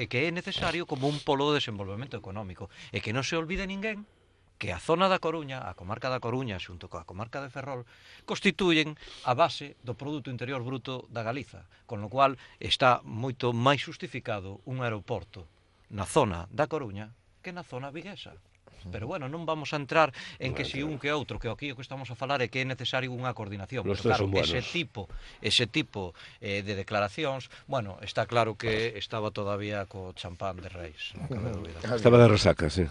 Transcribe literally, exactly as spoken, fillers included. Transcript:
e que é necesario como un polo de desenvolvemento económico. E que non se olvide ninguén que a zona da Coruña, a comarca da Coruña, xunto coa comarca de Ferrol, constituyen a base do Produto Interior Bruto da Galiza, con lo cual está moito máis justificado un aeroporto na zona da Coruña que na zona viguesa. Pero bueno, non vamos a entrar en que si un que outro, que aquí o que estamos a falar é que é necesario unha coordinación. Los Pero tres claro, son ese buenos. tipo, ese tipo eh, de declaracións, bueno, está claro que estaba todavía co champán de Reis, non cabe dúbida. Estaba de resaca, sí.